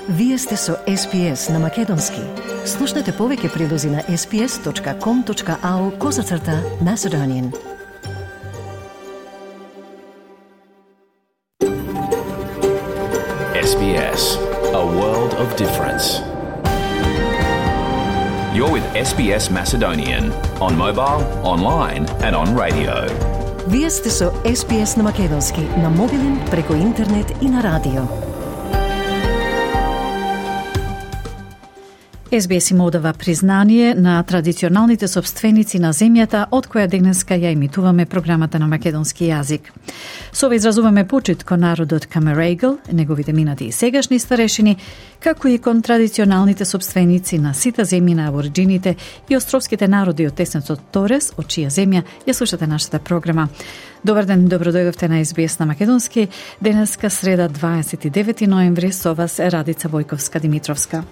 Вие сте со SPS на Македонски. Слушнете повеќе прилози на sps.com.au/Macedonian. SBS, a world of difference. You're with SBS Macedonian on mobile, online and on radio. Вие сте со SPS на Македонски на мобилен, преку интернет и на радио. SBS им одава признание на традиционалните собственици на земјата од која денеска ја емитуваме програмата на македонски јазик. Со ова изразуваме почит кон народот Камерегл, неговите минати и сегашни старешини, како и кон традиционалните собственици на сите земји на абориджините и островските народи од теснецот Торес, од чија земја ја слушате нашата програма. Добар ден, добродојдовте на SBS на Македонски. Денеска среда 29 ноември со вас Радица Војковска-Димитровска.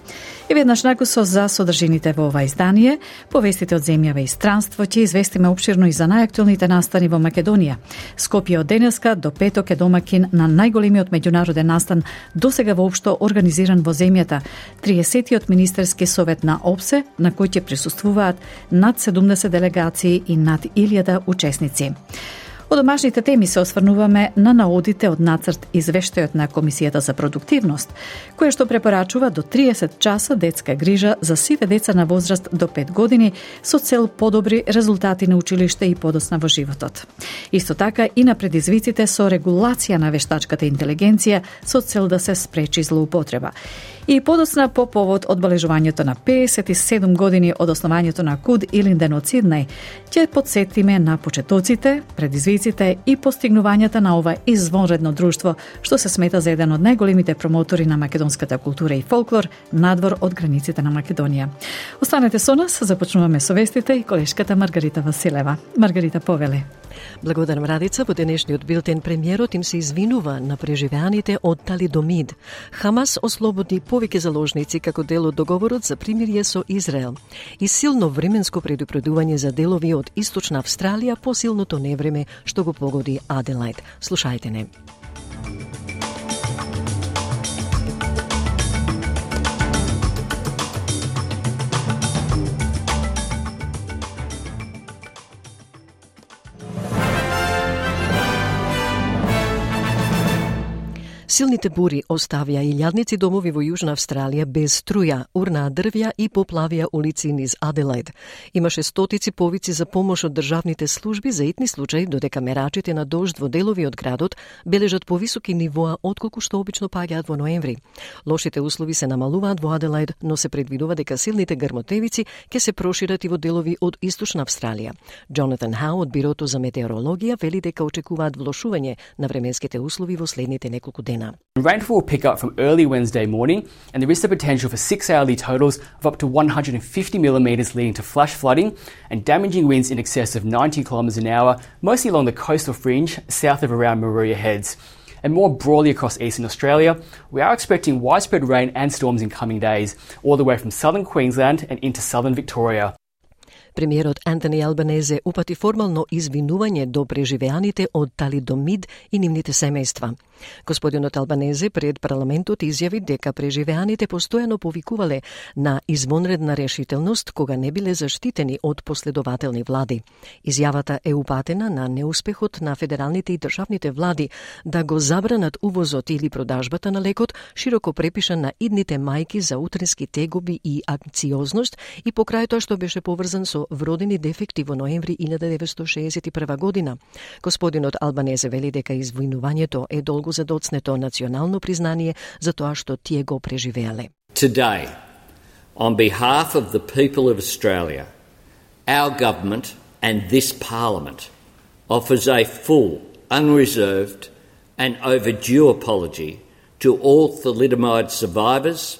И веднаш накусо за содржините во ова издание, повестите од земјава и странство, ќе известиме опширно и за најактуелните настани во Македонија. Скопје од денеска до петок е домакин на најголемиот меѓународен настан досега воопшто организиран во земјата, 30-тиот министерски совет на ОПСЕ, на кој ќе присуствуваат над 70 делегации и над 1000 учесници. Од домашните теми се осврнуваме на наодите од нацрт извештајот на Комисијата за продуктивност, која што препорачува до 30 часа детска грижа за сите деца на возраст до 5 години со цел подобри резултати на училиште и подоцна во животот. Исто така и на предизвиците со регулација на вештачката интелигенција со цел да се спречи злоупотреба. И подоцна по повод одбележувањето на 57 години од основањето на КУД Илинден од Сиднеј, ќе подсетиме на почетоците, предизвиците и постигнувањата на ова извонредно друштво, што се смета за еден од најголемите промотори на македонската култура и фолклор надвор од границите на Македонија. Останете со нас, започнуваме со вестите и колешката Маргарита Василева. Маргарита, повели. Благодарам, Радица. Во денешниот билтен премиерот им се извинува на преживеаните од талидомид. Хамас ослободи повеќе заложници како дел од договорот за примирие со Израел. И силно временско предупредување за делови од Источна Австралија по силното невреме што го погоди Аделајд. Слушајте не. Силните бури оставија илјадници домови во Јужна Австралија без струја, урнаа дрвја и поплавија улици низ Аделајд. Имаше стотици повици за помош од државните служби за итни случаи, додека мерачите на дожд во делови од градот бележат повисоки нивоа отколку што обично паѓаат во ноември. Лошите услови се намалуваат во Аделајд, но се предвидува дека силните грмотевици ќе се прошират и во делови од Источна Австралија. Джонатан Хау од Бирото за метеорологија вели дека очекуваат влошување на временските услови во следните неколку дена. Rainfall will pick up from early Wednesday morning, and there is the potential for 6-hourly totals of up to 150 millimetres, leading to flash flooding and damaging winds in excess of 90 kilometres an hour, mostly along the coastal fringe south of around Maruya Heads. And more broadly across eastern Australia, we are expecting widespread rain and storms in coming days, all the way from southern Queensland and into southern Victoria. Премиерот Антони Албанезе упати формално извинување до преживеаните од талидомид и нивните семејства. Господинот Албанезе пред парламентот изјави дека преживеаните постојано повикувале на извонредна решителност кога не биле заштитени од последователни влади. Изјавата е упатена на неуспехот на федералните и државните влади да го забранат увозот или продажбата на лекот, широко препишан на идните мајки за утрински тегоби и анкциозност и покрај тоа што беше поврзан со вродени дефекти во ноември 1961 година. Господинот Албанезе вели дека извинувањето е долго задоцнето национално признание за тоа што тие го преживеале. Today, on behalf of the people of Australia, our government and this parliament offers a full, unreserved and overdue apology to all thalidomide survivors,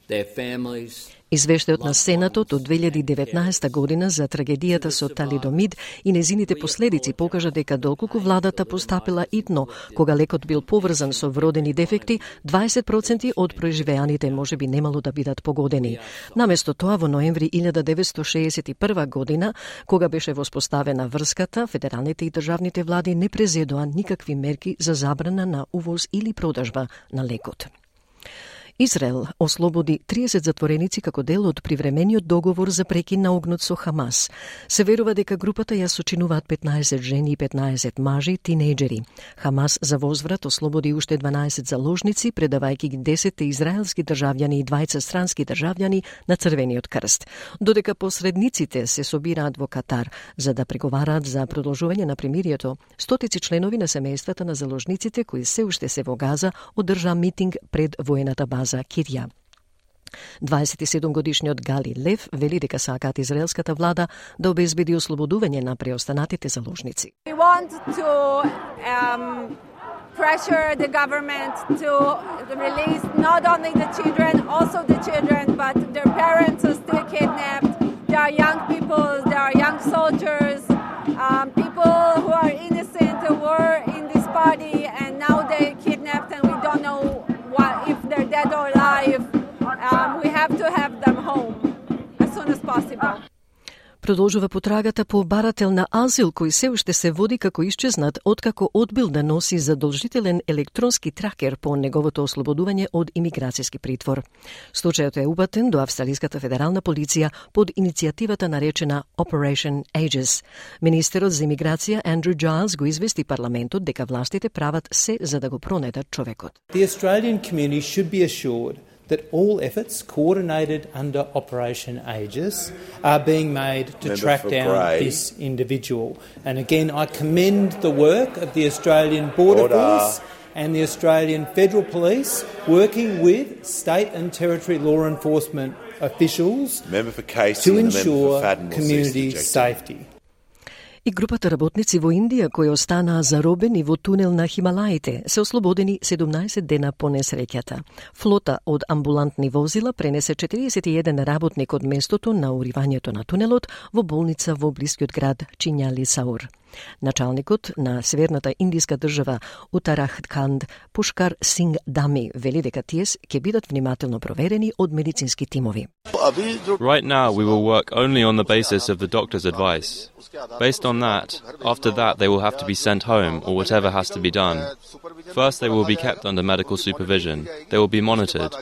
their families. Извештајот на Сенатот од 2019 година за трагедијата со талидомид и незините последици покажа дека доколку владата постапила итно кога лекот бил поврзан со вродени дефекти, 20% од преживеаните можеби немало да бидат погодени. Наместо тоа во ноември 1961 година, кога беше воспоставена врската, федералните и државните влади не презедоа никакви мерки за забрана на увоз или продажба на лекот. Израел ослободи 30 затвореници како дел од привремениот договор за прекин на огнот со Хамас. Се верува дека групата ја сочинуваат 15 жени и 15 мажи, тинејџери. Хамас за возврат ослободи уште 12 заложници, предавајќи ги 10 израелски државјани и 20 странски државјани на Црвениот крст. Додека посредниците се собираат во Катар за да преговараат за продолжување на примирието, стотици членови на семејствата на заложниците кои се уште се во Газа одржа митинг пред воената база Кирја. 27-годишниот Гали Лев вели дека сакаат израелската влада да обезбеди ослободување на преостанатите заложници. We want to pressure the government to release not only the children, also the children, but their parents are still kidnapped. There are young people, there are young soldiers, people who are innocent who were in this party and now they're kidnapped and we don't know if they're dead or alive. We have to have them home as soon as possible. Продолжува потрагата по барател на азил кој се уште се води како исчезнат откако одбил да носи задолжителен електронски тракер по неговото ослободување од имиграцијски притвор. Случајот е упатен до австралиската федерална полиција под иницијативата наречена Operation Aegis. Министерот за имиграција Андрю Giles го извести парламентот дека властите прават се за да го пронедат човекот. The Australian community should be assured that all efforts coordinated under Operation Aegis are being made to track down this individual. And again, I commend the work of the Australian Border Force and the Australian Federal Police working with state and territory law enforcement officials to ensure community safety. И групата работници во Индија кои останаа заробени во тунел на Хималаите се ослободени 17 дена по несреќата. Флота од амбулантни возила пренесе 41 работник од местото на уривањето на тунелот во болница во блискиот град Чинјали-Саур. Началникот на северната индиска држава Утарахканд Пушкар Синг Дами вели дека тие ќе бидат внимателно проверени од медицински тимови. Right now we will work only on the basis of the doctor's advice. Based on that, after that they will have to be sent home or whatever has to be done. First they will be kept under medical supervision. They will be monitored.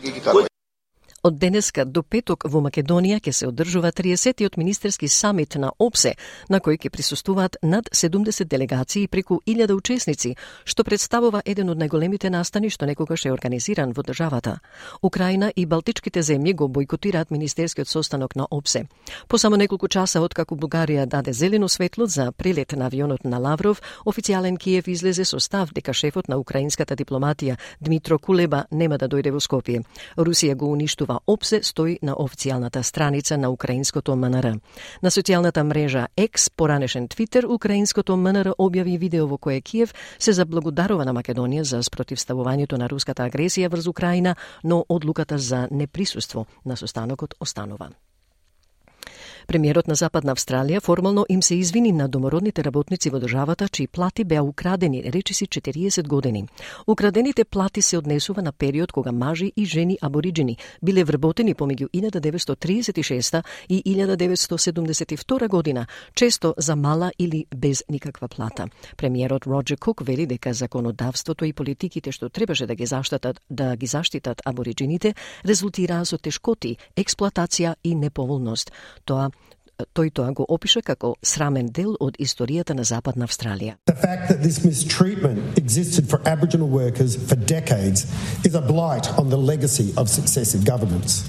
Од денеска до петок во Македонија ќе се одржува 30-тиот министерски самит на ОПСЕ, на кој ќе присуствуваат над 70 делегации и преку 1000 учесници, што представува еден од најголемите настани што некогаш е организиран во државата. Украина и Балтичките земји го бойкотираат министерскиот состанок на ОПСЕ. По само неколку часа откако Бугарија даде зелено светло за прелет на авионот на Лавров, официјален Киев излезе со став дека шефот на украинската дипломатија Дмитро Кулеба нема да дојде во Скопје. Русија го уништува ОПСЕ, стои на официјалната страница на украинското МНР. На социјалната мрежа X, поранешен Твитер, украинското МНР објави видео во кое Киев се заблагодарува на Македонија за спротивставувањето на руската агресија врз Украина, но одлуката за неприсуство на состанокот останува. Премиерот на Западна Австралија формално им се извини на домородните работници во државата чии плати беа украдени речиси 40 години. Украдените плати се однесува на период кога мажи и жени абориџини биле вработени помеѓу 1936 и 1972 година, често за мала или без никаква плата. Премиерот Роджер Кук вели дека законодавството и политиките што требаше да ги заштитат абориџините резултираа со тешкоти, експлоатација и неповолност. Тој тоа го опиша како срамен дел од историјата на Западна Австралија. The fact that this mistreatment existed for Aboriginal workers for decades is a blight on the legacy of successive governments.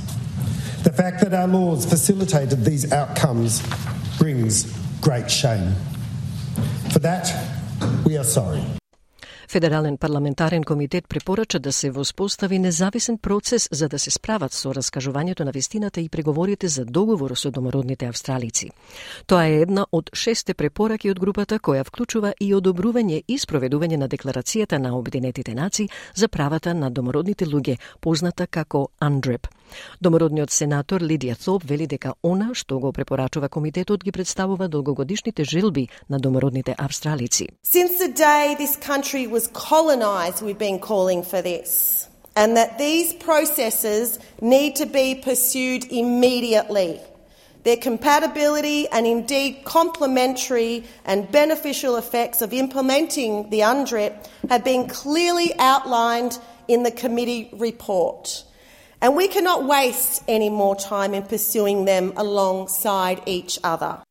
The fact that our laws facilitated these outcomes brings great shame. For that, we are sorry. Федерален парламентарен комитет препорача да се воспостави независен процес за да се справат со раскажувањето на вистината и преговорите за договор со домородните австралици. Тоа е една од 6 препораки од групата која вклучува и одобрување и спроведување на декларацијата на Обединетите нации за правата на домородните луѓе, позната како UNDRIP. Домородниот сенатор Лидија Thorpe вели дека она што го препорачува комитетот ги представува долгогодишните желби на домородните австралици. Since the day this country was colonized, we've been calling for this, and that these processes need to be pursued immediately. Their compatibility and indeed complementary and beneficial effects of implementing the UNDRIP have been clearly outlined in the committee report. And we cannot waste any more time in pursuing them alongside each other.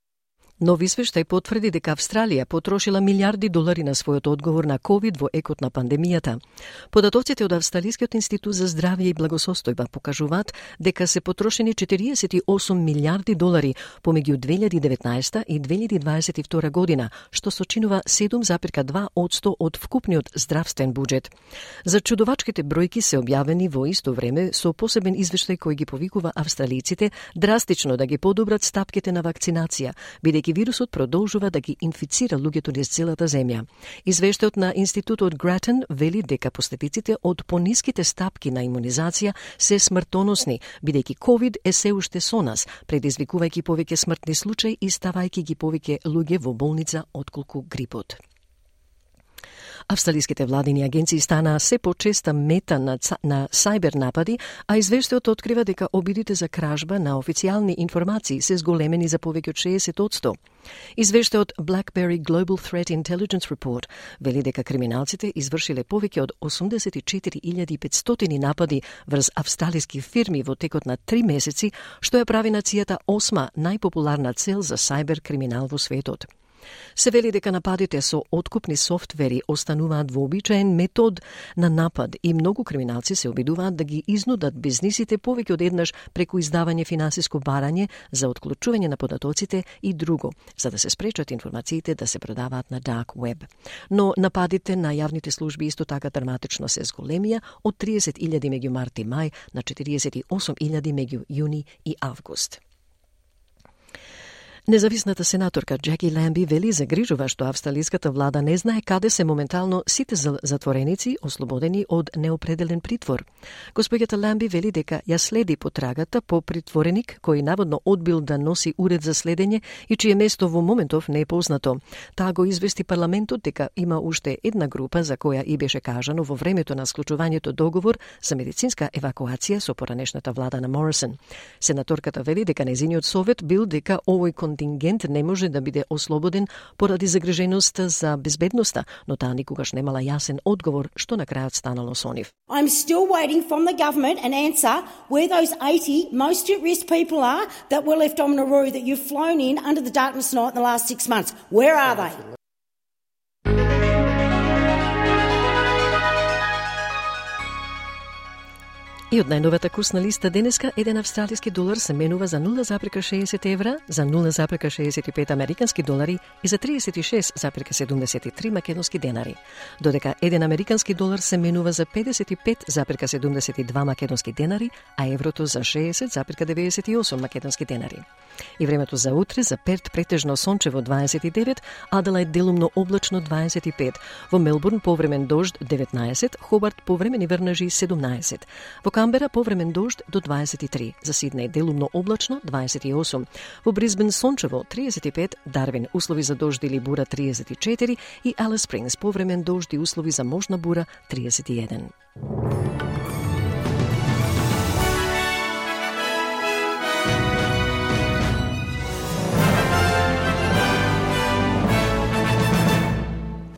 Нов извештај потврди дека Австралија потрошила милиарди долари на својот одговор на ковид во екот на пандемијата. Податоците од Австралискиот институт за здравје и благосостојба покажуваат дека се потрошени 48 милиарди долари помеѓу 2019 и 2022 година, што сочинува 7,2% од вкупниот здравствен буџет. За чудовачките бројки се објавени во исто време со посебен извештај кој ги повикува австралиците драстично да ги подобрат стапките на вакцинација, бидејќи вирусот продолжува да ги инфицира луѓето низ целата земја. Извештајот на институтот Гратен вели дека последиците од пониските стапки на имунизација се смртоносни, бидејќи ковид е се уште со нас, предизвикувајќи повеќе смртни случаи и ставајќи ги повеќе луѓе во болница отколку грипот. Австралиските владини агенции стана се почеста мета на сајбер напади, а извештајот открива дека обидите за кражба на официјални информации се зголемени за повеќе од 60%. Извештајот BlackBerry Global Threat Intelligence Report вели дека криминалците извршиле повеќе од 84.500 напади врз австралиски фирми во текот на 3 месеци, што ја прави нацијата 8-ма најпопуларна цел за сајбер криминал во светот. Се вели дека нападите со откупни софтвери остануваат вообичаен метод на напад и многу криминалци се обидуваат да ги изнудат бизнисите повеќе од еднаш преку издавање финансиско барање за отклучување на податоците и друго, за да се спречат информациите да се продаваат на dark web. Но нападите на јавните служби исто така драматично се зголемија од 30.000 меѓу март и мај на 48.000 меѓу јуни и август. Независната сенаторка Джеки Ламби вели загрижува што австралиската влада не знае каде се моментално сите затвореници ослободени од неопределен притвор. Господјата Ламби вели дека ја следи потрагата по притвореник кој наводно одбил да носи уред за следење и чие место во моментов не е познато. Таа го извести парламентот дека има уште една група за која и беше кажано во времето на склучувањето договор за медицинска евакуација со поранешната влада на Морисон. Сенаторката вели дека незиниот совет бил дека овој контингент не може да биде ослободен поради загриженост за безбедноста, но таа никогаш немала јасен одговор што на крајот станало со нив. I'm still waiting from the government an answer where those 80 most at-risk people are that were left on Nauru that you've flown in under the darkness night in the last 6 months. Where are they? И од најновата курсна листа денеска, еден австралиски долар се менува за 0,60 евра, за 0,65 американски долари и за 36,73 македонски денари. Додека еден американски долар се менува за 55,72 македонски денари, а еврото за 60,98 македонски денари. И времето за утре за Перт претежно сончево 29, Аделајд делумно облачно 25, во Мелбурн повремен дожд 19, Хобарт повремени врнежи 17, во Камбера повремен дожд до 23, за Сиднеј делумно облачно 28, во Брисбен сончево 35, Дарвин услови за дожд или бура 34 и Алис Спрингс повремен дожд и услови за можна бура 31.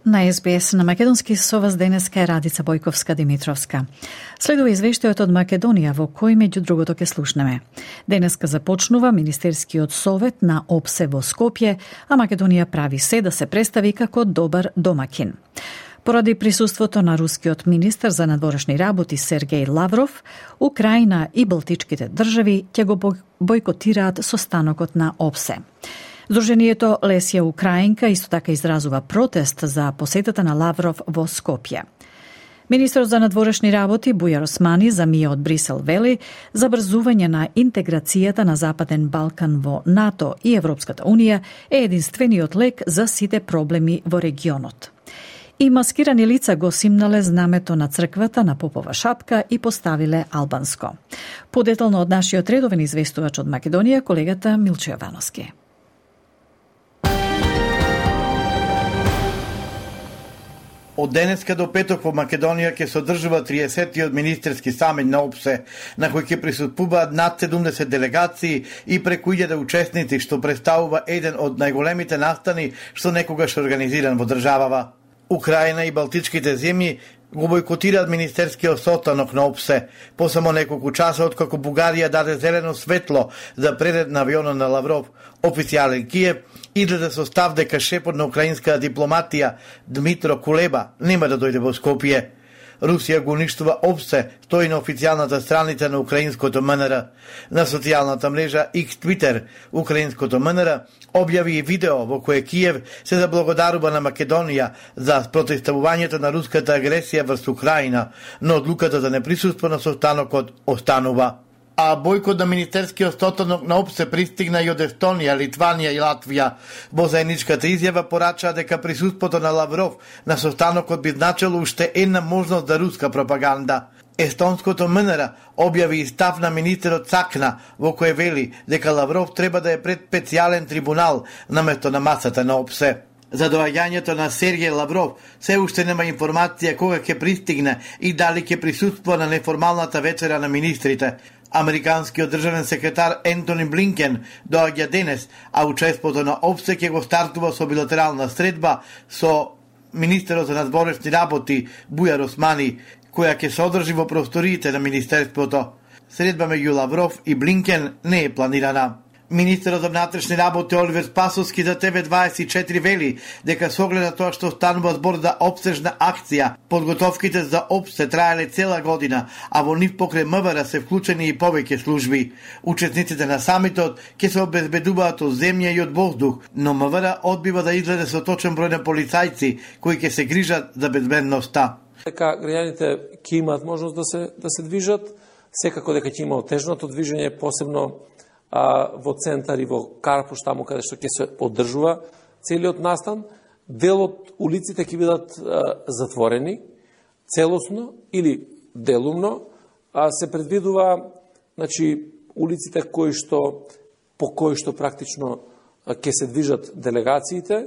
На СБС на македонски со вас денеска е Радица Бојковска-Димитровска. Следува извештајот од Македонија во кој меѓу другото ќе слушнеме. Денеска започнува Министерскиот совет на ОПСЕ во Скопје, а Македонија прави се да се представи како добар домакин. Поради присуството на рускиот министер за надворешни работи Сергеј Лавров, Украина и Балтичките држави ќе го бојкотираат состанокот на ОПСЕ. Сдруженијето Лесија Украинка исто така изразува протест за посетата на Лавров во Скопје. Министерот за надворешни работи Бујар Османи за МИА од Брисел вели забрзување на интеграцијата на Западен Балкан во НАТО и Европската Унија е единствениот лек за сите проблеми во регионот. И маскирани лица го симнале знамето на црквата на попова шапка и поставиле албанско. Подетално од нашиот редовен известувач од Македонија, колегата Милчо Јовановски. Од денеска до петок во Македонија ќе се одржува 30-тиот министерски самит на ОПСЕ, на кој ќе присуствуваат над 70 делегации и преку 1000 учесници, што представува еден од најголемите настани што некогаш организиран во државава. Украина и Балтичките земји го бойкотираат министерскиот состанок на ОПСЕ, по само неколку часа откако Бугарија даде зелено светло за прелет на авионот на Лавров. Официјален Киев излезе со став дека шефот на украинската дипломатија Дмитро Кулеба нема да дојде во Скопје. Русија го уништува ОПСЕ, стои на официјалната страница на украинското МНР. На социјалната мрежа X Twitter, украинското МНР објави и видео во кое Киев се заблагодарува на Македонија за противставувањето на руската агресија врз Украина, но одлуката за неприсуство на состанокот останува. А бојкот на министерскиот состанок на ОПСЕ пристигна и од Естонија, Литванија и Латвија. Во заедничката изјава порачаа дека присуството на Лавров на состанокот би значило уште една можност за руска пропаганда. Естонското МНР објави и став на министерот Цакна, во кој вели дека Лавров треба да е пред специјален трибунал наместо на масата на ОПСЕ. За доаѓањето на Сергеј Лавров се уште нема информација кога ќе пристигне и дали ќе присуствува на неформалната вечера на министрите. Американскиот државен секретар Ентони Блинкен доаѓа денес, а учеството на ОПСЕ ќе го стартува со билатерална средба со министерот за надворешни работи Бујар Османи, која ќе се одржи во просториите на министерството. Средба меѓу Лавров и Блинкен не е планирана. Министерот за внатрешни работи Оливер Спасовски за ТВ24 вели дека со оглед на тоа што станува збор за опсежна акција, подготовките за ОПСЕ траеле цела година, а во нив покрај МВР се вклучени и повеќе служби. Учесниците на самитот ќе се обезбедуваат од земја и од воздух, но МВР одбива да излезе со точен број на полицајци кои ќе се грижат за безбедноста. Дека граѓаните ќе имаат можност да се движат, секако дека ќе има отежното движење, посебно во центар и во Карпуш, таму каде што ќе се одржува целиот настан. Дел од улиците ќе бидат затворени целосно или делумно. Се предвидува улиците по кои што практично ќе се движат делегациите,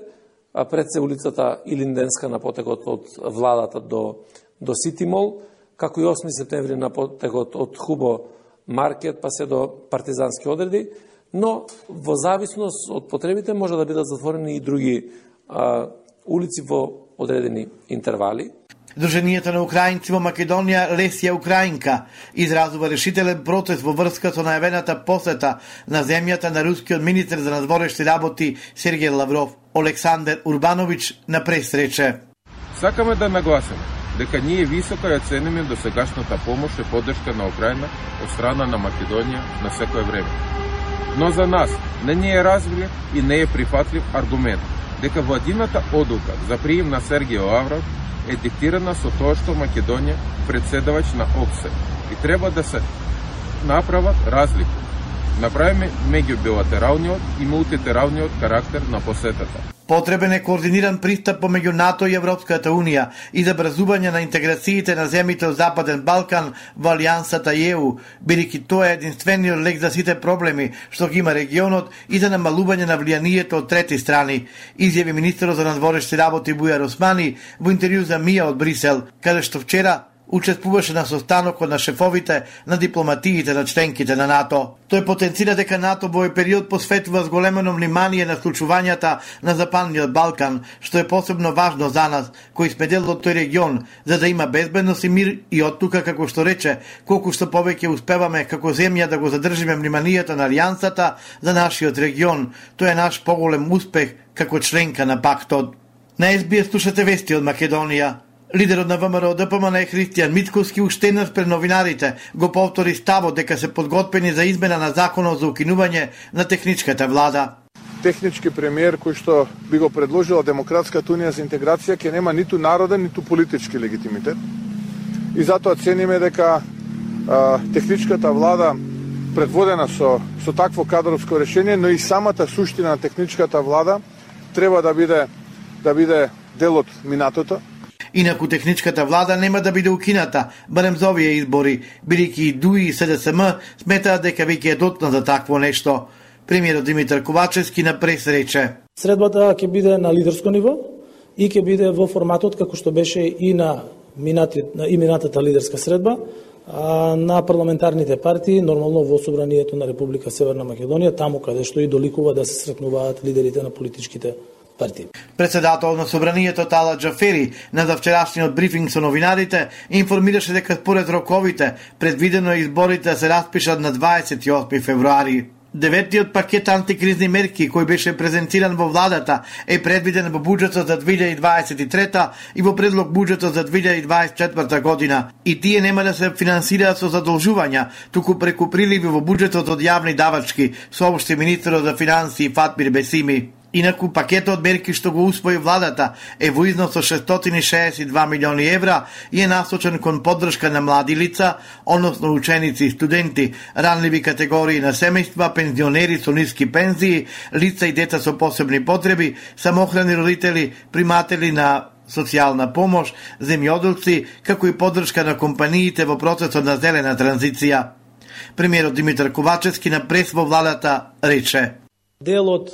пред се улицата Илинденска на потегот од владата до Сити Мол, како и 8 септември на потегот од Хубо Маркет па се до партизански одреди, но во зависност од потребите може да бидат затворени и други улици во одредени интервали. Друженијето на украинци во Македонија Лесија Украинка изразува решителен протест во врска со најавената посета на земјата на рускиот министер за надворешни работи Сергеј Лавров. Олександар Урбанович на пресрече. Сакаме да нагласиме дека ние високо ја цениме досегашната помош и поддршка на Украина од страна на Македонија на секое време. Но за нас не ни е разбрив и не е прифатлив аргумент дека владината одлука за прием на Сергеј Лавров е диктирана со тоа што Македонија председавач на ОПСЕ и треба да се направат разлика. Направиме меѓу билатералниот и мултилатералниот карактер на посетата. Потребен е координиран пристап помеѓу НАТО и Европската Унија и за образување на интеграциите на земјите од Западен Балкан во Алијансата ЕУ, бидејќи тоа е единствениот лек за сите проблеми што ги има регионот и за намалување на влијанието од трети страни, изјави министерот за надворешни работи Бујар Османи во интервју за МИА од Брисел, каде што вчера учествуваше на состанокот на шефовите на дипломатиите на членките на НАТО. Тој потенцира дека НАТО во овој период посветува зголемено внимание на случувањата на Западниот Балкан, што е посебно важно за нас, кои сме дел од тој регион, за да има безбедност и мир и оттука, како што рече, колку што повеќе успеваме како земја да го задржиме вниманието на Алијансата за нашиот регион. Тоа е наш поголем успех како членка на пактот. На СБС слушате вести од Македонија. Лидерот на ВМРО ДПМН Христијан Мицковски уште еднаш пред новинарите го повтори ставот дека се подготвени за измена на законот за укинување на техничката влада. Технички премиер кој што би го предложила Демократската унија за интеграција ќе нема ниту народен, ниту политички легитимитет. И затоа цениме дека техничката влада предводена со такво кадровско решение, но и самата суштина на техничката влада треба да биде дел од минатото. Инаку техничката влада нема да биде укината, барем за овие избори, бидејќи и ДУИ и СДСМ сметаат дека веќе е дотна за такво нешто. Премиерот Димитар Ковачевски на пресрече. Средбата ќе биде на лидерско ниво и ќе биде во форматот како што беше и на минатата лидерска средба на парламентарните партии, нормално во Собранието на Република Северна Македонија, таму каде што и доликува да се сретнуваат лидерите на политичките партии. Председател на собранието Тала Џафери на завчерашниот брифинг со новинарите информираше дека според роковите предвидено е изборите да се распишат на 28 февруари. Деветиот пакет антикризни мерки кој беше презентиран во владата е предвиден во буџетот за 2023 и во предлог буџетот за 2024 година. И тие нема да се финансираат со задолжувања, туку преку приливи во буџетот од јавни давачки, соопшти министерот за финансии Фатмир Бесими. Инаку пакетот мерки што го усвои владата е во износ од 662 милиони евра и е насочен кон поддршка на млади лица, односно ученици и студенти, ранливи категории на семејства, пензионери со ниски пензии, лица и деца со посебни потреби, самохрани родители, приматели на социјална помош, земјоделци, како и поддршка на компаниите во процесот на зелена транзиција. Премиерот Димитар Ковачевски на прес во владата рече: Дел од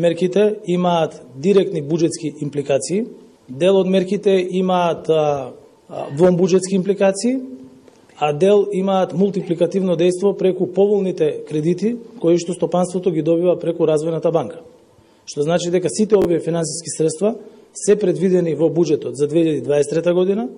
мерките имаат директни буџетски импликации, дел од мерките имаат вонбуџетски импликации, а дел имаат мултипликативно дејство преку поволните кредити кои што стопанството ги добива преку Развојната банка. Што значи дека сите овие финансиски средства се предвидени во буџетот за 2023 година,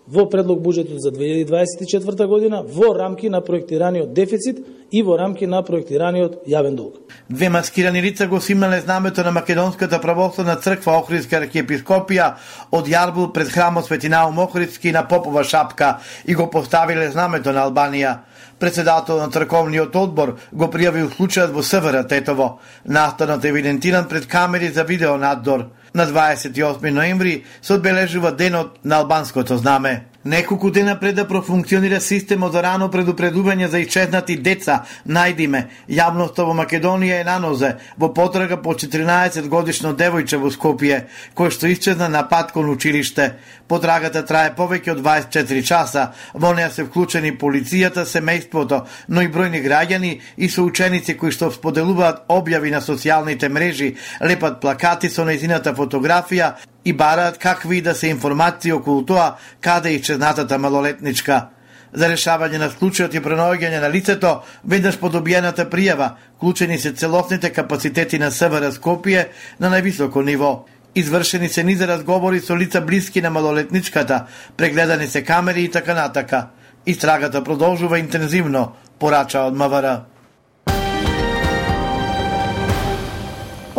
во предлог буџетот за 2024 година, во рамки на проектираниот дефицит и во рамки на проектираниот јавен долг. Две маскирани лица го симнале знамето на Македонската православна црква Охридска архиепископија од јарбул пред храмот Свети Наум Охридски на Попова шапка и го поставиле знамето на Албанија. Председател на црковниот одбор го пријавил случајот во СВР Тетово. Настанот е евидентиран пред камери за видеонадзор. На 28 ноември се одбележува денот на албанското знаме. Неколку дена пред да профункционира системот за рано предупредување за исчезнати деца, најдиме, јавноста во Македонија е на нозе во потрага по 14 годишно девојче во Скопје, кој што исчезна на пат кон училиште. Потрагата трае повеќе од 24 часа, во неа се вклучени полицијата, семејството, но и бројни граѓани и соученици кои што споделуваат објави на социјалните мрежи, лепат плакати со нејзината фотографија и бараат какви да се информации околу тоа каде е исчезнатата малолетничка. За решавање на случајот и пронаоѓање на лицето, веднаш по добиената пријава, вклучени се целосните капацитети на СВР Скопје на највисоко ниво. Извршени се низа разговори со лица блиски на малолетничката, прегледани се камери и така натака. Истрагата продолжува интензивно, порача од МВР.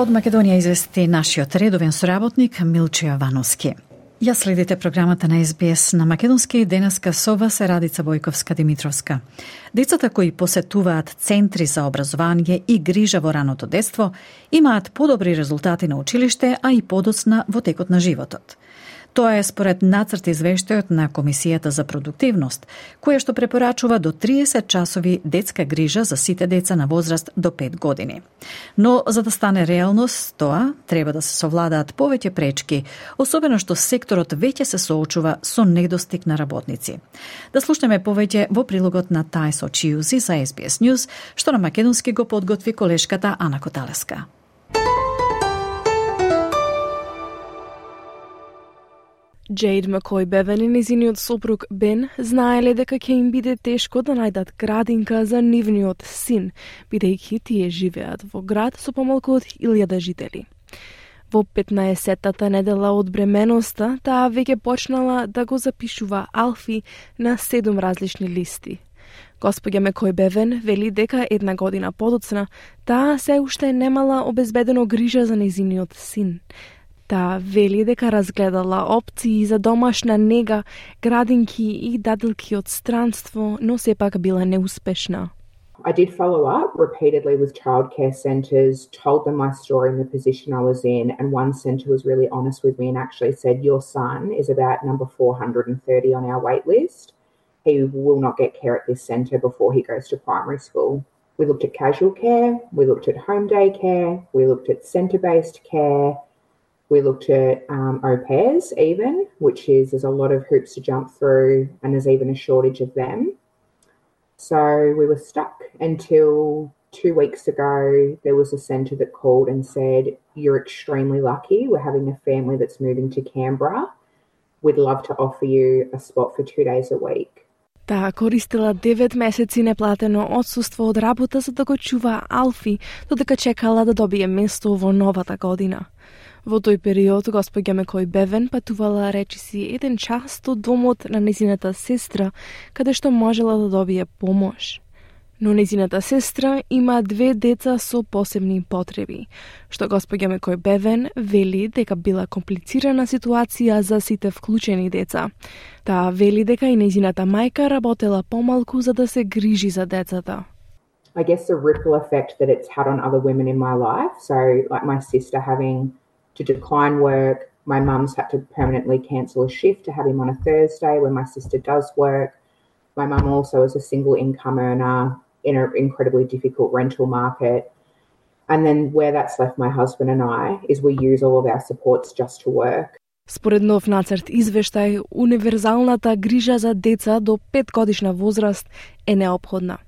Од Македонија извести нашиот редовен соработник Милче Јовановски. Ја следите програмата на СБС на македонски, денеска со вас е Радица Бојковска-Димитровска. Децата кои посетуваат центри за образование и грижа во раното детство имаат подобри резултати на училиште, а и подоцна во текот на животот. Тоа е според нацрт извештајот на Комисијата за продуктивност, која што препорачува до 30 часови детска грижа за сите деца на возраст до 5 години. Но за да стане реалност тоа, треба да се совладаат повеќе пречки, особено што секторот веќе се соочува со недостиг на работници. Да слушнеме повеќе во прилогот на Тајсо Чиузи за SBS News, што на македонски го подготви колешката Ана Коталеска. Джейд Макој Бевен и незиниот сопруг Бен знаеле дека ќе им биде тешко да најдат градинка за нивниот син, бидејќи тие живеат во град со помалку од 1000 жители. Во 15-тата недела од бременоста, таа веќе почнала да го запишува Алфи на 7 различни листи. Господја Макој Бевен вели дека 1 година подоцна, таа се уште немала обезбедено грижа за незиниот син. Таа вели дека разгледала опции за домашна нега, градинки и даделки од странство, но сепак била неуспешна. I did follow up repeatedly with childcare centres, told them my story and the position I was in, and one centre was really honest with me and actually said, your son is about number 430 on our wait list. He will not get care at this centre before he goes to primary school. We looked at casual care, we looked at home day care, we looked at centre-based care, we looked at au pairs even, which is there's a lot of hoops to jump through and there's even a shortage of them. So we were stuck until 2 weeks ago, there was a centre that called and said, you're extremely lucky. We're having a family that's moving to Canberra. We'd love to offer you a spot for 2 days a week. Таа користила 9 месеци неплатено отсуство од работа за да го чува Алфи, додека чекала да добие место во новата година. Во тој период, госпоѓа Мекој Бевен патувала речиси 1 час до домот на незината сестра, каде што можела да добие помош. Но незината сестра има 2 деца со посебни потреби, што госпоѓа Мекој Бевен вели дека била комплицирана ситуација за сите вклучени деца. Таа вели дека и незината мајка работела помалку за да се грижи за децата. I guess the ripple effect that it's had on other women in my life. So like my sister having to decline work, my mum's had to permanently cancel a shift to have him on a Thursday when my sister does work. My mum also is a single income earner in an incredibly difficult rental market. And then where that's left my husband and I is we use all of our supports just to work. Според нов нацрт извештај, универзалната грижа за деца до 5 годишна возраст е неопходна.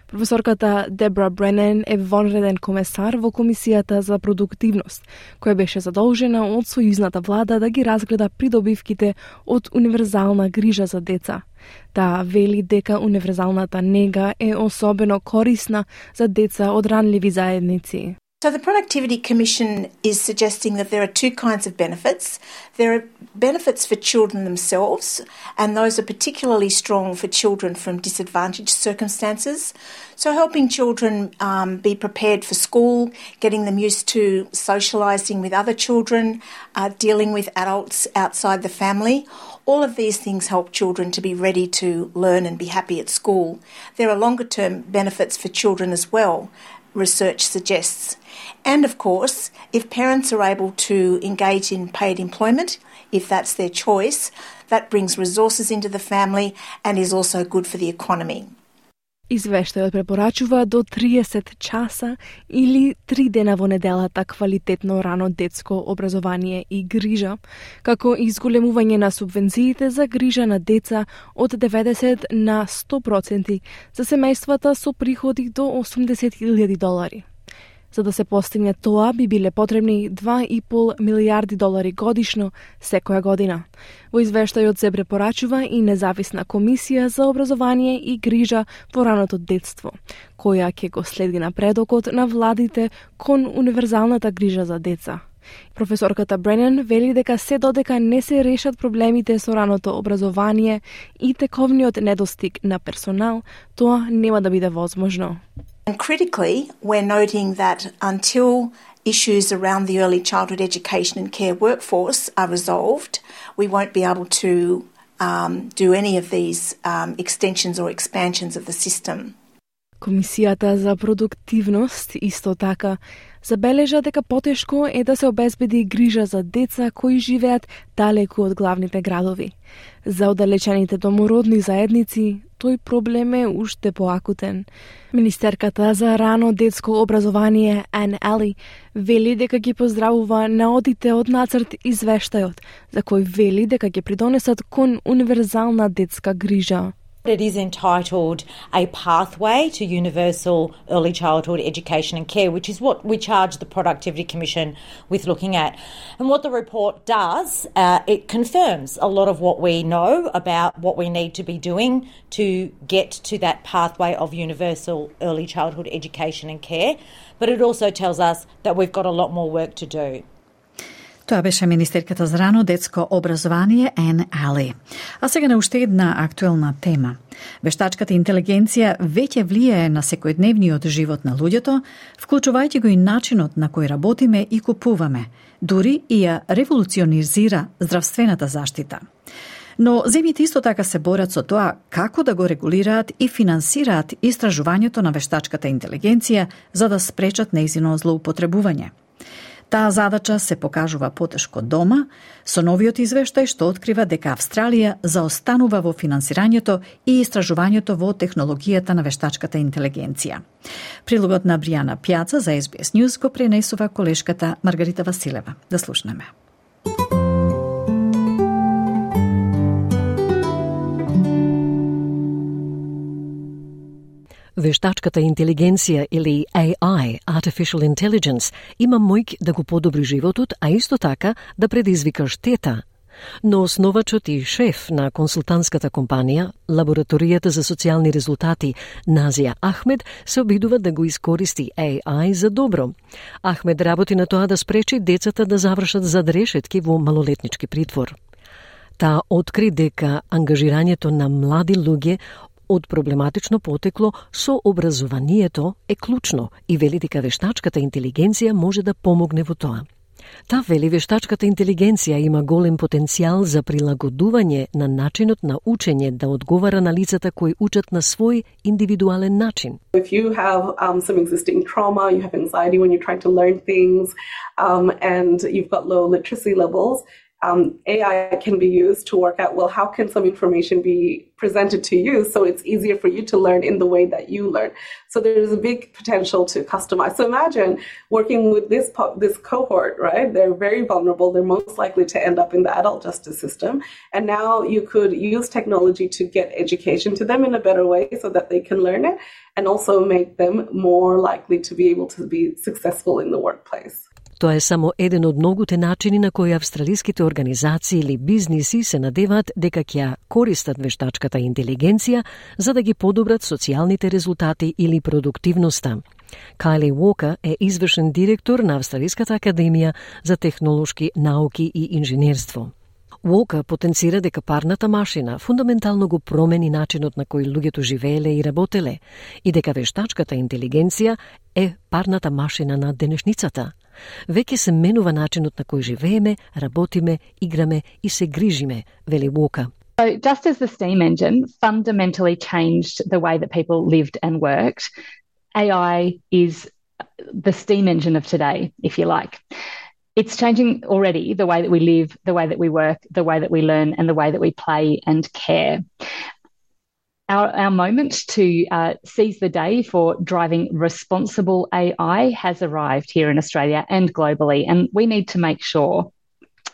Професорката Дебра Бренен е вонреден комесар во Комисијата за продуктивност, која беше задолжена од сојузната влада да ги разгледа придобивките од универзална грижа за деца. Таа вели дека универзалната нега е особено корисна за деца од ранливи заедници. So the Productivity Commission is suggesting that there are 2 kinds of benefits. There are benefits for children themselves, and those are particularly strong for children from disadvantaged circumstances. So helping children be prepared for school, getting them used to socialising with other children, dealing with adults outside the family. All of these things help children to be ready to learn and be happy at school. There are longer-term benefits for children as well, research suggests. And of course, if parents are able to engage in paid employment, if that's their choice, that brings resources into the family and is also good for the economy. Извештајот препорачува до 30 часа или 3 дена во неделата квалитетно рано детско образование и грижа, како и изголемување на субвенциите за грижа на деца од 90 на 100% за семејствата со приходи до $80,000. За да се постигне тоа, би биле потребни $2,5 милијарди годишно секоја година. Во извештајот се препорачува и независна комисија за образование и грижа во раното детство, која ќе го следи напредокот на владите кон универзалната грижа за деца. Професорката Бренен вели дека се додека не се решат проблемите со раното образование и тековниот недостиг на персонал, тоа нема да биде возможно. And critically, we're noting that until issues around the early childhood education and care workforce are resolved, we won't be able to do any of these extensions or expansions of the system. Комисијата за продуктивност исто така забележа дека потешко е да се обезбеди грижа за деца кои живеат далеку од главните градови. За оддалечените домородни заедници тој проблем е уште поакутен. Министерката за рано детско образование Ан Али вели дека ги поздравува наодите од нацрт извештајот, за кој вели дека ќе придонесат кон универзална детска грижа. It is entitled A Pathway to Universal Early Childhood Education and Care, which is what we charge the Productivity Commission with looking at. And what the report does, it confirms a lot of what we know about what we need to be doing to get to that pathway of universal early childhood education and care, but it also tells us that we've got a lot more work to do. Тоа беше министерката за рано детско образование Ан Али. А сега на уште една актуелна тема. Вештачката интелигенција веќе влијае на секојдневниот живот на луѓето, вклучувајќи го и начинот на кој работиме и купуваме, дури и ја револуционизира здравствената заштита. Но земјите исто така се борат со тоа како да го регулираат и финансираат истражувањето на вештачката интелигенција за да спречат нејзино злоупотребување. Таа задача се покажува потешко дома, со новиот извештај што открива дека Австралија заостанува во финансирањето и истражувањето во технологијата на вештачката интелигенција. Прилогот на Бријана Пјаца за SBS News го пренесува колешката Маргарита Василева. Да слушнеме. Вештачката интелигенција или AI, Artificial Intelligence, има моќ да го подобри животот, а исто така да предизвика штета. Но основачот и шеф на консултантската компанија, Лабораторијата за социјални резултати, Назија Ахмед, се обидува да го искористи AI за добро. Ахмед работи на тоа да спречи децата да завршат зад решетки во малолетнички притвор. Таа откри дека ангажирањето на млади луѓе од проблематично потекло со образованието е клучно и вели дека вештачката интелигенција може да помогне во тоа. Та вели вештачката интелигенција има голем потенцијал за прилагодување на начинот на учење да одговара на лицата кои учат на свој индивидуален начин. If you have some existing trauma, you have anxiety when you're trying to learn things, and you've got low literacy levels, AI can be used to work out, well, how can some information be presented to you so it's easier for you to learn in the way that you learn. So there's a big potential to customize. So imagine working with this cohort, right? They're very vulnerable. They're most likely to end up in the adult justice system. And now you could use technology to get education to them in a better way so that they can learn it and also make them more likely to be able to be successful in the workplace. Тоа е само еден од многуте начини на кои австралиските организации или бизниси се надеваат дека ќе користат вештачката интелигенција за да ги подобрат социјалните резултати или продуктивноста. Кайли Уокер е извршен директор на Австралиската академија за технолошки науки и инженерство. Уокер потенцира дека парната машина фундаментално го промени начинот на кој луѓето живееле и работеле и дека вештачката интелигенција е парната машина на денешницата. Веќе се менува начинот на кој живееме, работиме, играме и се грижиме, вели Уокер. So just as the steam engine fundamentally changed the way that people lived and worked, AI is the steam engine of today, if you like. It's changing already the way that we live, the way that we work, the way that we learn, and the way that we play and care. Our moment to seize the day for driving responsible AI has arrived here in Australia and globally, and we need to make sure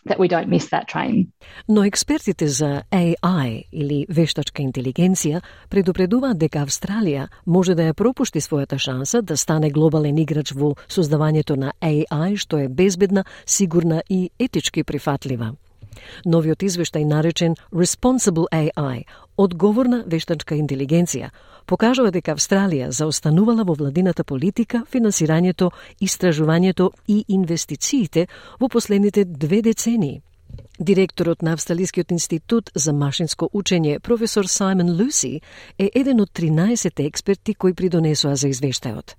that we don't miss that train. Но експертите за AI или вештачка интелигенција предупредуваат дека Австралија може да ја пропушти својата шанса да стане глобален играч во создавањето на AI, што е безбедна, сигурна и етички прифатлива. Новиот извештај наречен Responsible AI, одговорна вештачка интелигенција, покажува дека Австралија заостанувала во владината политика, финансирањето, истражувањето и инвестициите во последните 2 децении. Директорот на Австралискиот институт за машинско учење, професор Саймон Луси, е еден од 13 експерти кои придонесоа за извештајот.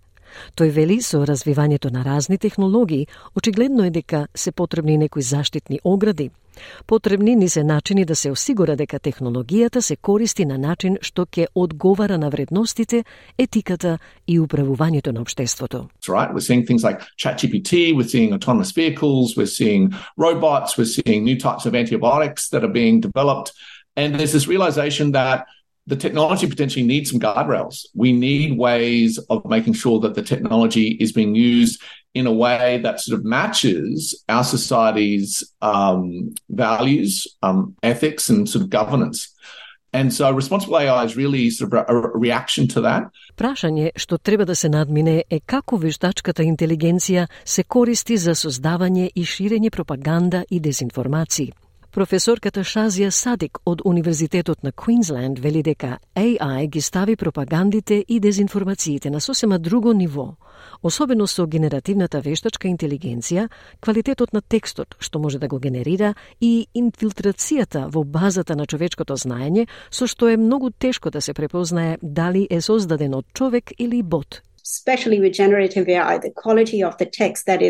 Тој вели со развивањето на разни технологии, очигледно е дека се потребни некои заштитни огради. Потребни ни се начини да се осигура дека технологијата се користи на начин што ќе одговара на вредностите, етиката и управувањето на општеството. Right, we're seeing things like ChatGPT, we're seeing autonomous vehicles, we're seeing robots, we're seeing new types of antibiotics that are being developed, and there's this realization that the technology potentially needs some guardrails. We need ways of making sure that the technology is being used in a way that sort of matches our society's values, ethics, and sort of governance. And so responsible AI is really sort of a reaction to that. Прашање што треба да се надмине е како вештачката интелигенција се користи за создавање и ширење пропаганда и дезинформации. Професорката Шазија Садик од Универзитетот на Квинсленд вели дека AI ги стави пропагандите и дезинформациите на сосема друго ниво, особено со генеративната вештачка интелигенција, квалитетот на текстот што може да го генерира и инфилтрацијата во базата на човечкото знаење, со што е многу тешко да се препознае дали е создаден од човек или бот. Especially with generative AI, the quality of the text that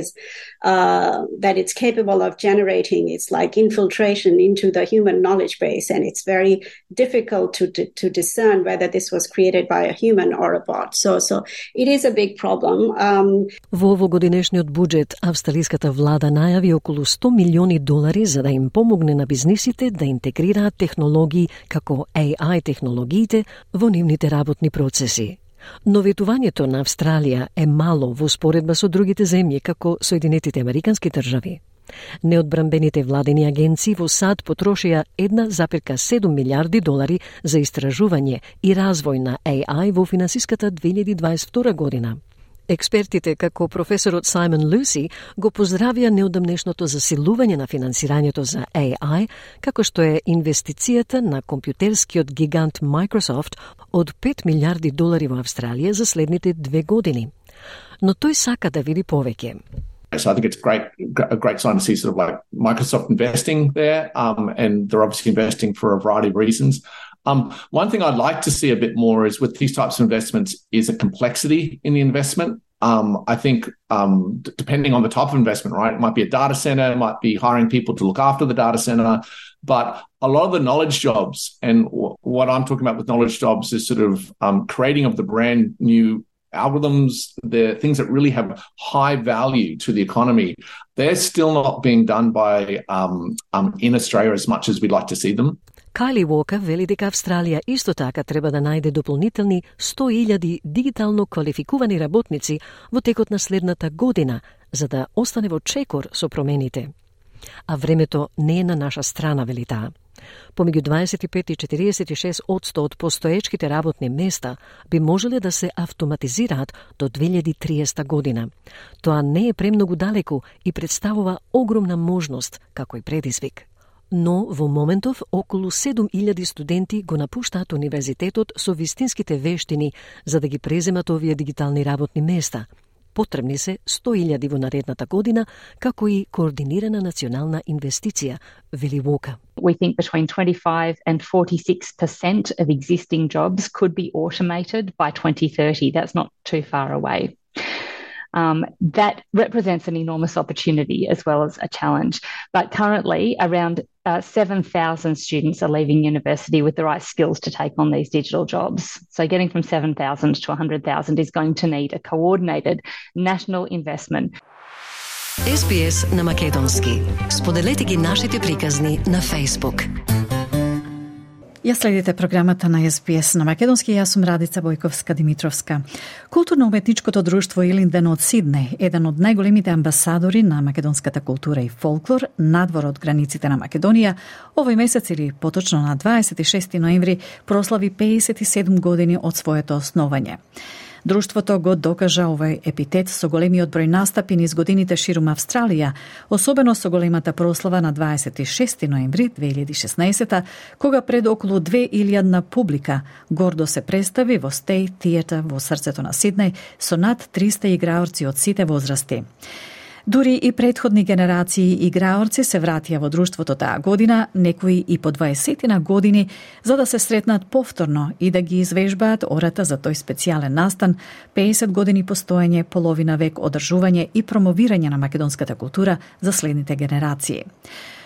it's capable of generating is like infiltration into the human knowledge base, and it's very difficult to discern whether this was created by a human or a bot. So it is a big problem. Во овогодинешниот буџет, австралиската влада најави околу $100 милиони за да им помогне на бизнисите да интегрираат технологии како AI технологиите во нивните работни процеси. Но ветувањето на Австралија е мало во споредба со другите земји, како Соединетите Американски држави. Неодбранбените владени агенции во САД потрошија $1,7 милиарди за истражување и развој на AI во финансиската 2022 година. Експертите, како професорот Саймон Луси, го поздравија неодамнешното засилување на финансирањето за AI, како што е инвестицијата на компјутерскиот гигант Microsoft од $5 милиарди во Австралија за следните 2 години. Но тој сака да види повеќе. So I think it's a great sign to see sort of like Microsoft investing there, and they're obviously investing for a variety of reasons. One thing I'd like to see a bit more is with these types of investments is a complexity in the investment. I think depending on the type of investment, right, it might be a data center, it might be hiring people to look after the data center, but a lot of the knowledge jobs, and what I'm talking about with knowledge jobs is sort of creating of the brand new algorithms, the things that really have high value to the economy, they're still not being done by in Australia as much as we'd like to see them. Кайли Уокер вели дека Австралија исто така треба да најде дополнителни 100,000 дигитално квалификувани работници во текот на следната година, за да остане во чекор со промените. А времето не е на наша страна, вели таа. Помеѓу 25 и 46% од постоечките работни места би можеле да се автоматизираат до 2030 година. Тоа не е премногу далеку и представува огромна можност, како и предизвик. Но во моментов околу 7,000 студенти го напуштаат универзитетот со вистинските вештини за да ги преземат овие дигитални работни места. Потребни се 100,000 во наредната година, како и координирана национална инвестиција, вели Уокер. We think between 25 and 46% of existing jobs could be automated by 2030. That's not too far away. That represents an enormous opportunity as well as a challenge. But currently, around 7,000 students are leaving university with the right skills to take on these digital jobs. So getting from 7,000 to 100,000 is going to need a coordinated national investment. SBS на македонски. Споделете ги нашите приказни на Facebook. Ја следите програмата на SBS на македонски, јас сум Радица Бојковска-Димитровска. Културно-уметничкото друштво Илинден од Сиднеј, еден од најголемите амбасадори на македонската култура и фолклор надвор од границите на Македонија, овој месец или поточно на 26 ноември прослави 57 години од своето основање. Друштвото го докажа овој епитет со големиот број настапи низ годините ширум Австралија, особено со големата прослава на 26 ноември 2016, кога пред околу 2,000 публика гордо се представи во State Theatre во срцето на Сиднеј со над 300 играорци од сите возрасти. Дури и претходни генерации играорци се вратија во друштвото таа година, некои и по 20 години, за да се сретнат повторно и да ги извежбаат ората за тој специјален настан, 50 години постоење, половина век одржување и промовирање на македонската култура за следните генерации.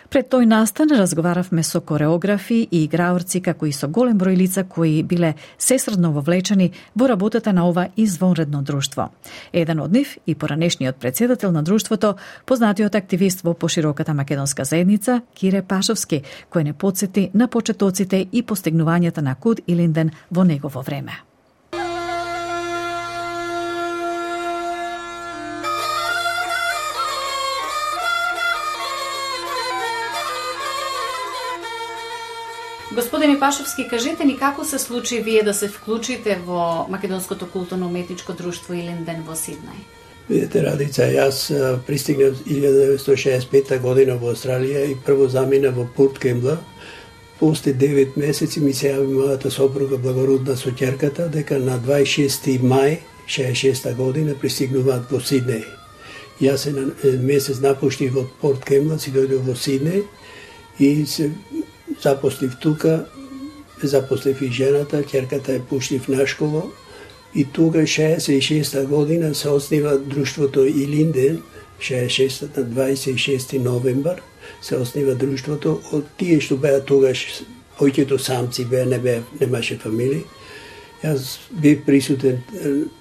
Пред тој настан разговаравме со кореографи и играорци, како и со голем број лица кои биле сесредно вовлечени во работата на ова извонредно друштво. Еден од нив и поранешниот председател на друштвото, познатиот активист во пошироката македонска заедница, Кире Пашовски, кој не потсети на почетоците и постигнувањата на Куд Илинден во негово време. Господине Пашовски, кажете ни како се случи вие да се вклучите во Македонското културно-уметничко друштво Илинден во Сиднеј? Видете, Радица, јас пристигнав 1965 година во Австралија и прво замина во Порт Кембла. После 9 месеци ми се јави мојата сопруга благородна со ќерката дека на 26 мај 66 година пристигнуваат во Сиднеј. Јас се на месец напуштив од Порт Кембла, си дојдов во Сиднеј и се запослив тука, запослив и жената, ќерката ја пуштив на школа и тука 66 година се оснива друштвото Илинден, 66 на 26 новембар се оснива друштвото од тие што беа тогаш повеќето самци беа, немаше фамилии. Јас бев присутен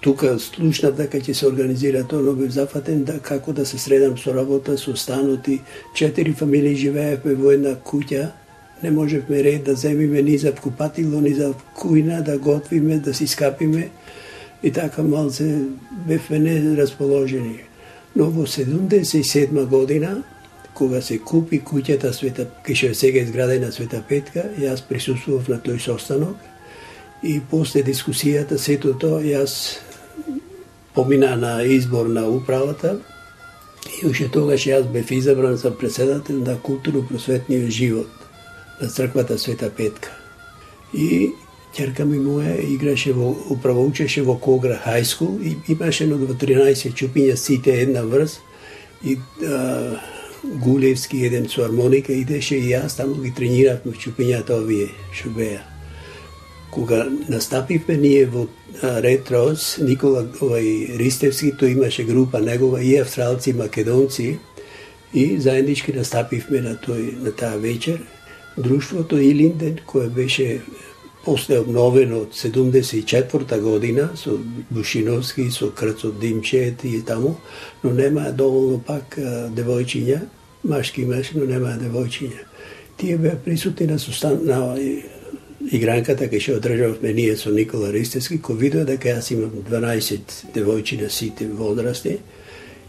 тука, слушнав дека ќе се организира тоа, но бев зафатен да како да се средам со работа, со станот и 4 фамилии живеевме во една куќа. Не можевме ред да земиме ни за купатило, ни за кујна, да готвиме, да си скапиме и така малце бевме нерасположени. Но во 77 година, кога се купи куќата Света, кај сега изградена Света Петка, јас присуствував на тој состанок и после дискусијата сето тоа јас помина на избор на управата и уште тогаш јас бев избран за председател на културно-просветниот живот на црквата Света Петка. И ќерка ми моја играше учеше во Когра High School и имаше едно 13 чупиња сите една врз и Гулевски еден со армоника идеше и јас таму ги трениравме чупињата овие што беа. Кога настапивме ние во Ред Роуз, Никола Ристевски, тој имаше група негова и австралци, македонци и заеднички настапивме на таа вечер. Друштвото Илинден, кое беше после обновено од 74 година со Бушиновски, со Крцот Димчет и таму, но немаа доволно пак девојчиња, машки имаше, но немаа девојчиња. Тие беа присутни на игранката кај што одржавме ние со Никола Ристевски, кој видува дека јас имам 12 девојчи на сите возрасти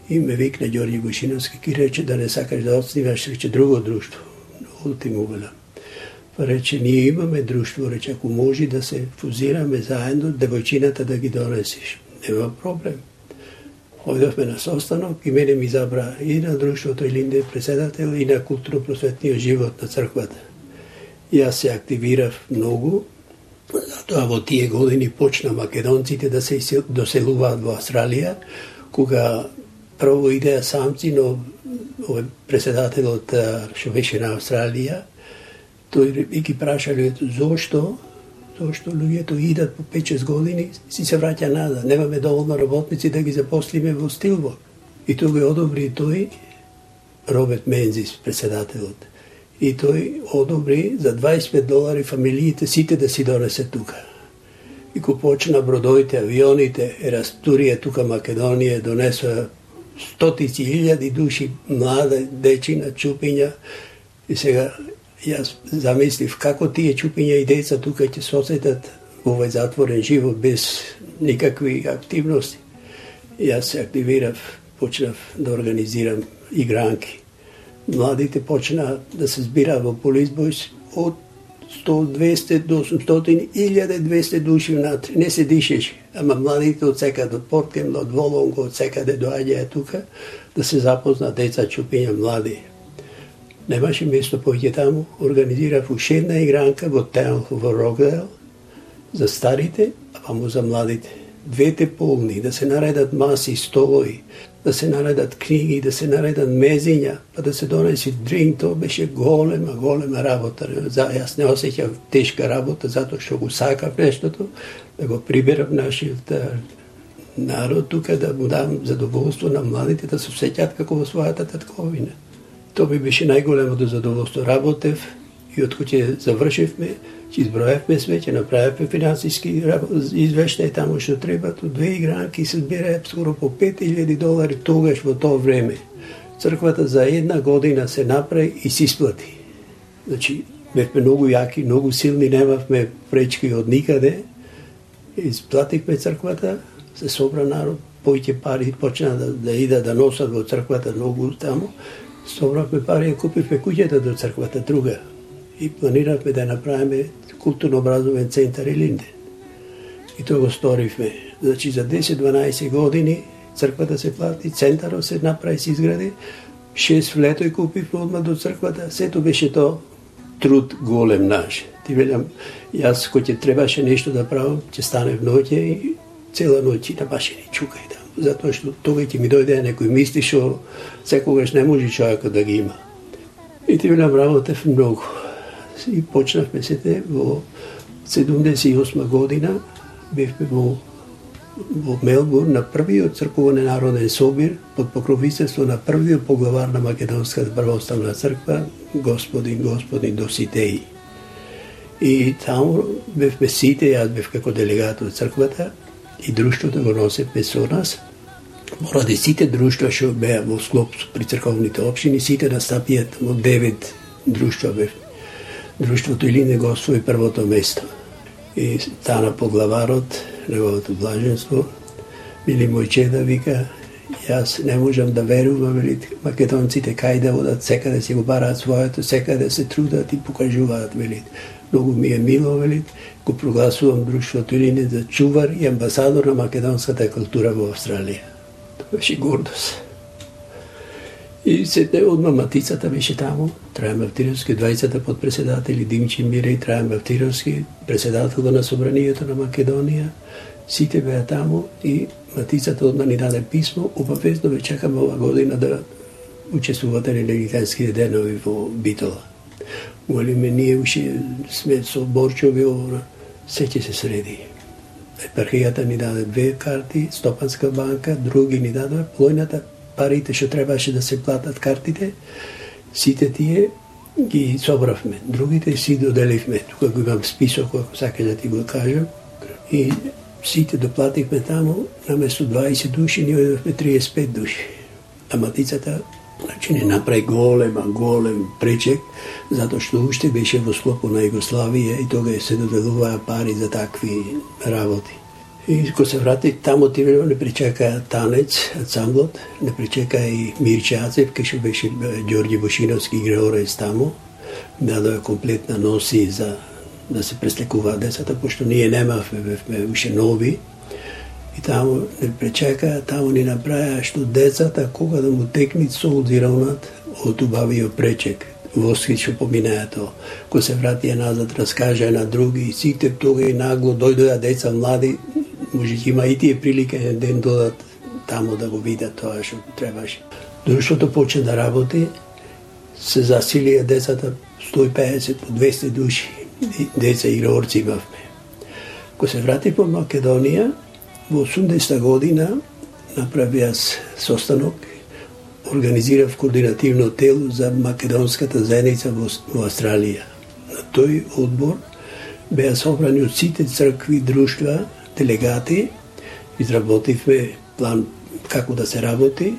и ме викна Ѓорѓе Бушиновски и рече да не сакаш да отсниваш, рече друго друштво. Ултимувала. Па рече, ние имаме друштво, рече, ако може да се фузираме заедно, девојчината да ги донесеш. Нема проблем. Одевме на состанок и мене ми забра и на друштвото Илинде председател и на културно-просветниот живот на црквата. Јас се активирав многу, затоа во тие години почна македонците да се доселуваат во Австралија, кога прво идеја самци, но председателот што беше на Австралија, тој ги прашале зошто луѓето идат по 5-6 години, си се враќа назад, немаме доволно работници да ги запослиме во Стилбок. И тој го одобри тој, Роберт Мензис, председателот. И тој одобри за $25 фамилиите сите да си донесе тука. И ко почна бродовите, авионите, Ерастурија тука Македонија донесоа стотици илјади души, млада дечина, чупиња. И сега јас замислив како тие чупиња и деца тука ќе се осетат овој затворен живот без никакви активности. Јас се активирав, почнав да организирам игранки. Младите почна да се збираат во Police Boys од 100-200 до 800 1200 души внатре. Не се дишеше, ама младите од секаде, од Порткемл, од Волонго, од секаде доаѓаја тука да се запознат деца, чупиња, млади. Немаше место поќе таму, организирав уште една игранка во Таунхо во Рокдейл за старите, а памо за младите. Двете полни, да се наредат маси, столови, да се наредат книги, да се наредат мезиња, па да се донеси дринк, тоа беше голема работа. Јас не осеќав тешка работа, затоа што го сакав нештото, да го приберам нашиот народ тука, да му дам задоволство на младите, да се осеќаат како во својата татковина. Тоа би беше најголемото задоволство. Работев и од кога завршивме, ќе изброевме све, ќе направевме финансиски извештај таму што треба, то 2 игранки се збираат скоро по $5000 тогаш во тоа време. Црквата за една година се направи и се исплати. Значи, бевме многу јаки, многу силни, немавме пречки од никаде. Исплативме црквата, се собра народ, поќе пари почна да идат да носат во црквата многу таму. Собравме пари и купивме куќата до црквата друга. И планиравме да направиме културно-образовен центар Илинден. И тоа го сторивме. Значи за 10-12 години црквата се плати, центарот се направи, се изгради, 6 влетој купивме одма до црквата, сето беше тоа труд голем наш. Ти велам, јас кој ќе требаше нешто да правам, ќе станев ноќе и цела ноќ на баше ни чукај таму. Затоа што тога ќе ми дојде некој мисли што секогаш не може човекот да ги има. И ти велам, работев многу. И почнавме сете во 78 година, бевме во Мелбурн на првиот црковен народен собир под покровителство на првиот поглавар на Македонската православна црква, господин Доситеи. И таму бевме сите, јас бев како делегат од црквата и друштвото го носевме со нас. Поради сите друштва што беа во склоп при црковните општини, сите настапијат во 9 друштва бевме. Друштвото Илинден го освои првото место. И стана поглаварот, неговото блаженство, Мили Мојчеда вика, Јас не можам да верувам, вели, македонците кај да одат, секаде си го бараат своето, секаде се трудат и покажуваат, вели. Многу ми е мило, вели, го прогласувам друштвото Илинден за чувар и амбасадор на македонската култура во Австралија. Тоа беше гордост. И сетне одма матицата беше таму, Трајан Мавтировски, 20 подпредседатели, Димчи Мире, Трајан Мавтировски, председател на Собранието на Македонија, сите беа таму и матицата одма ни даде писмо, обавезно ве чекаме ова година да учествувате на легитенските денови во Битола. Молиме, ние уши сме со Борчови, се ќе се среди. Епархијата ни даде 2 карти, Стопанска банка, други ни даде полојната, парите што требаше да се платат картите, сите тие ги собравме. Другите си доделивме. Тука го имам список, ако сака да ти го кажам. И сите доплативме таму, наместо 20 души, ние одевме 35 души. А матицата, значи, не направи голем пречек, затоа што уште беше во склопу на Југославија и тога се доделуваа пари за такви работи. И кога се врати таму, тивело не причека танец, ансамблот, не причека и Мирче Ацев, кај што беше Ѓорѓи Бошиновски играорец таму, дадоа комплетна носи за да се преслекуваат децата, пошто ние немавме, бевме уште нови. И таму не пречека, таму ни направија што децата, кога да му текнит солзи равнат, отубавио пречек. Воски што поминаа тоа. Кога се вратија назад, раскажа на други, и сите тога и нагло дојдоа деца млади, може има и тие прилика еден ден додат таму да го видат тоа што требаше. Друштвото почна да работи, се засилија децата 150 по 200 души, деца играорци имавме. Кога се врати по Македонија, во 80-та година направи јас состанок, организирав координативно тело за македонската заедница во Австралија. На тој одбор беа собрани од сите цркви, друштва, делегати, изработивме план како да се работи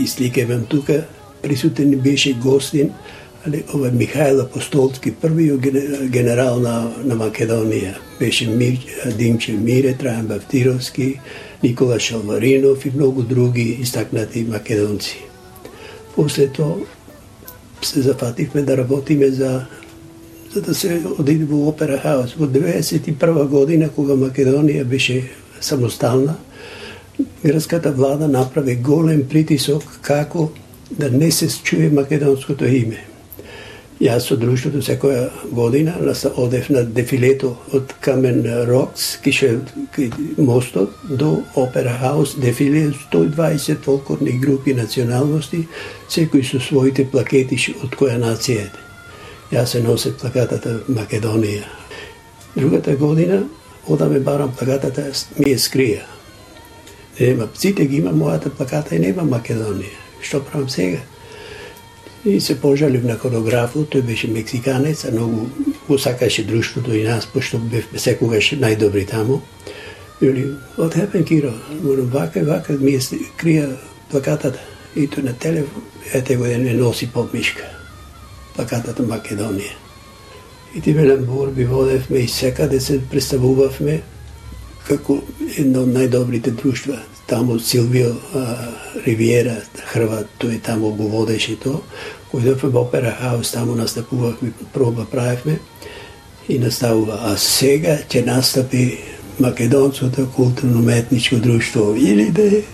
и сликавам тука, присутен беше гостин, але ова Михаил Апостолски, првиот генерал на Македонија. Беше Димче Мире, Трајан Мавтировски, Никола Шалваринов и многу други истакнати македонци. После тоа се зафативме да работиме за да се одиде во Опера Хаус. Во 1991 година, кога Македонија беше самостална, грчката влада направи голем притисок како да не се чуе македонското име. Јас со друштвото секоја година одев на дефилето од Камен Рокс, кај мостот до Опера Хаус, дефиле 120 фолклорни групи националности, секој со своите плакети од која нација е. Јас се носе плакатата Македонија. Другата година одаме барам плакатата, ми е скрија. Нема, сите ги има мојата плаката и нема Македонија. Што правам сега? И се пожалив на хореографот, тој беше мексиканец, а многу го сакаше друштвото и нас, пошто бевме секогаш најдобри таму. Вели, what happened, Kiro? Вака, ми е крија плакатата. И тој на телефон, ете го не носи подмишка. Плакатата Македонија. И ти велам борби водевме и секаде се представувавме како едно од најдобрите друштва. Таму Силвио Ривиера, Хрват, тој таму го водеше тоа. Којдовме во Опера Хаус, таму настапувавме, проба правевме и наставува. А сега ќе настапи Македонското културно-уметничко друштво. Или де?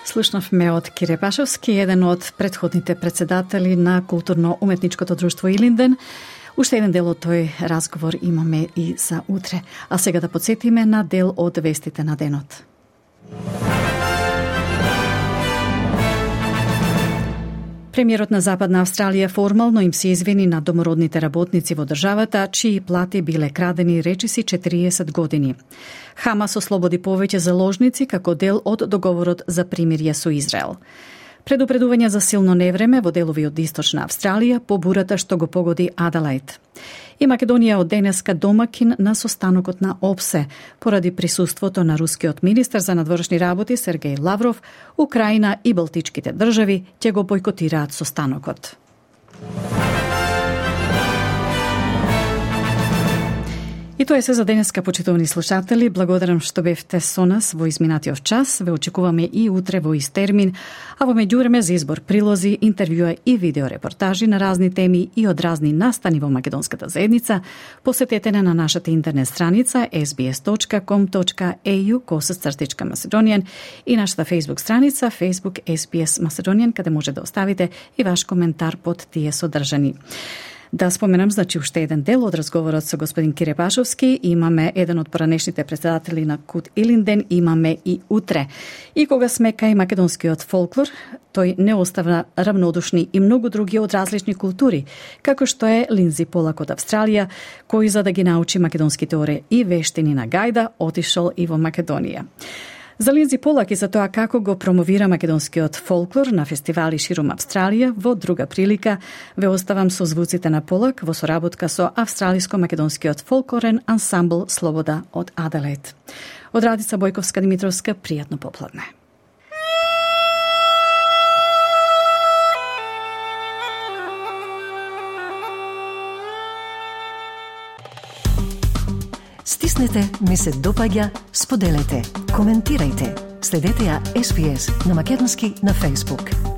Слушнавме од Кире Пашовски, еден од предходните председатели на културно-уметничкото друштво Илинден. Уште еден дел од тој разговор имаме и за утре. А сега да подсетиме на дел од вестите на денот. Премиерот на Западна Австралија формално им се извини на домородните работници во државата, чии плати биле крадени речиси 40 години. Хамас ослободи повеќе заложници како дел од договорот за примирие со Израел. Предупредување за силно невреме во делови од Источна Австралија по бурата што го погоди Аделаид. И Македонија од денеска домакин на состанокот на ОПСЕ, поради присуството на рускиот министар за надворешни работи Сергеј Лавров, Украина и Балтичките држави ќе го бойкотираат состанокот. И тоа е се за денеска, почитувани слушатели. Благодарам што бевте со нас во изминатиот час. Ве очекуваме и утре во ист термин, а во меѓувреме за избор прилози, интервјуа и видеорепортажи на разни теми и од разни настани во македонската заедница, посетете на нашата интернет страница sbs.com.au/Macedonian и нашата Facebook страница Facebook SBS Macedonian, каде може да оставите и ваш коментар под тие содржани. Да споменам, уште еден дел од разговорот со господин Кире Пашовски. Имаме еден од поранешните председатели на Кут Илинден, имаме и утре. И кога сме кај македонскиот фолклор, тој не остава равнодушни и многу други од различни култури, како што е Линдзи Полак од Австралија, кој за да ги научи македонските ори и вештини на гајда, отишол и во Македонија. За Линдзи Полак и за тоа како го промовира македонскиот фолклор на фестивали ширум Австралија, во друга прилика ве оставам со звуците на Полак во соработка со австралиско-македонскиот фолклорен ансамбл Слобода од Аделаид. Од Радица Бојковска-Димитровска, пријатно попладне. Стиснете, ми се допаѓа, споделете, коментирајте. Следете ја SBS на македонски на Facebook.